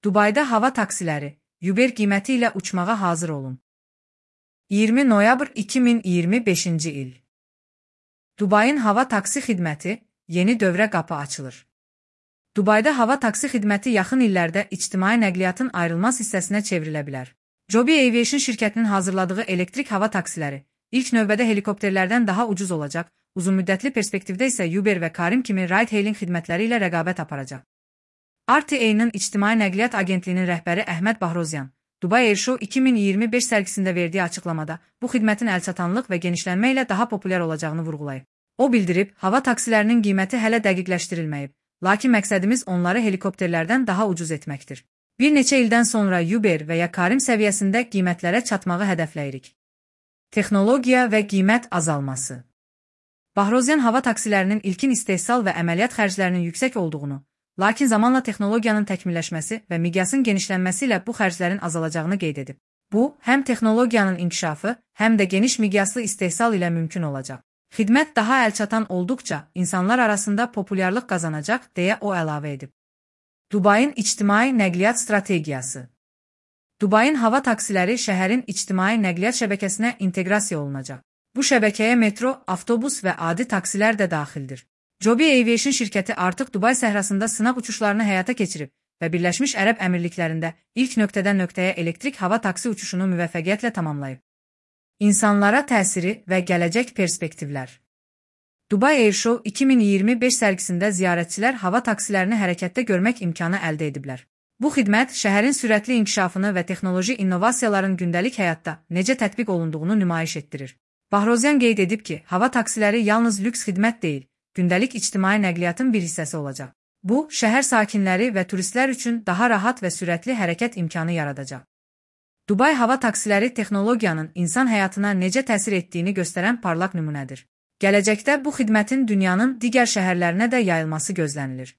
Dubayda hava taksiləri, Uber qiyməti ilə uçmağa hazır olun. 20 noyabr 2025-ci il. Dubayın hava taksi xidməti, yeni dövrə qapı açılır. Dubayda hava taksi xidməti yaxın illərdə ictimai nəqliyyatın ayrılmaz hissəsinə çevrilə bilər. Joby Aviation şirkətinin hazırladığı elektrik hava taksiləri ilk növbədə helikopterlərdən daha ucuz olacaq, uzunmüddətli perspektivdə isə Uber və Careem kimi ride-hailing xidmətləri ilə rəqabət aparacaq. RTA-nın İctimai Nəqliyyat Agentliyinin rəhbəri Əhməd Bahrozyan, Dubai Air Show 2025 sərgisində verdiyi açıqlamada bu xidmətin əlçatanlıq və genişlənmə ilə daha populyar olacağını vurğulayıb. O bildirib, hava taksilərinin qiyməti hələ dəqiqləşdirilməyib, lakin məqsədimiz onları helikopterlərdən daha ucuz etməkdir. Bir neçə ildən sonra Uber və ya Careem səviyyəsində qiymətlərə çatmağı hədəfləyirik. Texnologiya və qiymət azalması. Bahrozyan hava taksilərinin ilkin istehsal və əməliyyat xərclərinin yüksək olduğunu, lakin zamanla texnologiyanın təkmilləşməsi və miqyasın genişlənməsi ilə bu xərclərin azalacağını qeyd edib. Bu, həm texnologiyanın inkişafı, həm də geniş miqyaslı istehsal ilə mümkün olacaq. Xidmət daha əlçatan olduqca insanlar arasında populyarlıq qazanacaq, deyə o əlavə edib. Dubayın ictimai nəqliyyat strategiyası. Dubayın hava taksiləri şəhərin ictimai nəqliyyat şəbəkəsinə inteqrasiya olunacaq. Bu şəbəkəyə metro, avtobus və adi taksilər də daxildir. Joby Aviation şirkəti artıq Dubay səhrasında sınaq uçuşlarını həyata keçirib və Birləşmiş Ərəb Əmirliklərində ilk nöqtədən nöqtəyə elektrik hava taksi uçuşunu müvəffəqiyyətlə tamamlayıb. İnsanlara təsiri və gələcək perspektivlər. Dubai Air Show 2025 sərgisində ziyarətçilər hava taksilərini hərəkətdə görmək imkanı əldə ediblər. Bu xidmət şəhərin sürətli inkişafını və texnoloji innovasiyaların gündəlik həyatda necə tətbiq olunduğunu nümayiş etdirir. Bahrozyan qeyd edib ki, hava taksiləri yalnız lüks xidmət deyil, gündəlik ictimai nəqliyyatın bir hissəsi olacaq. Bu, şəhər sakinləri və turistlər üçün daha rahat və sürətli hərəkət imkanı yaradacaq. Dubay hava taksiləri texnologiyanın insan həyatına necə təsir etdiyini göstərən parlaq nümunədir. Gələcəkdə bu xidmətin dünyanın digər şəhərlərinə də yayılması gözlənilir.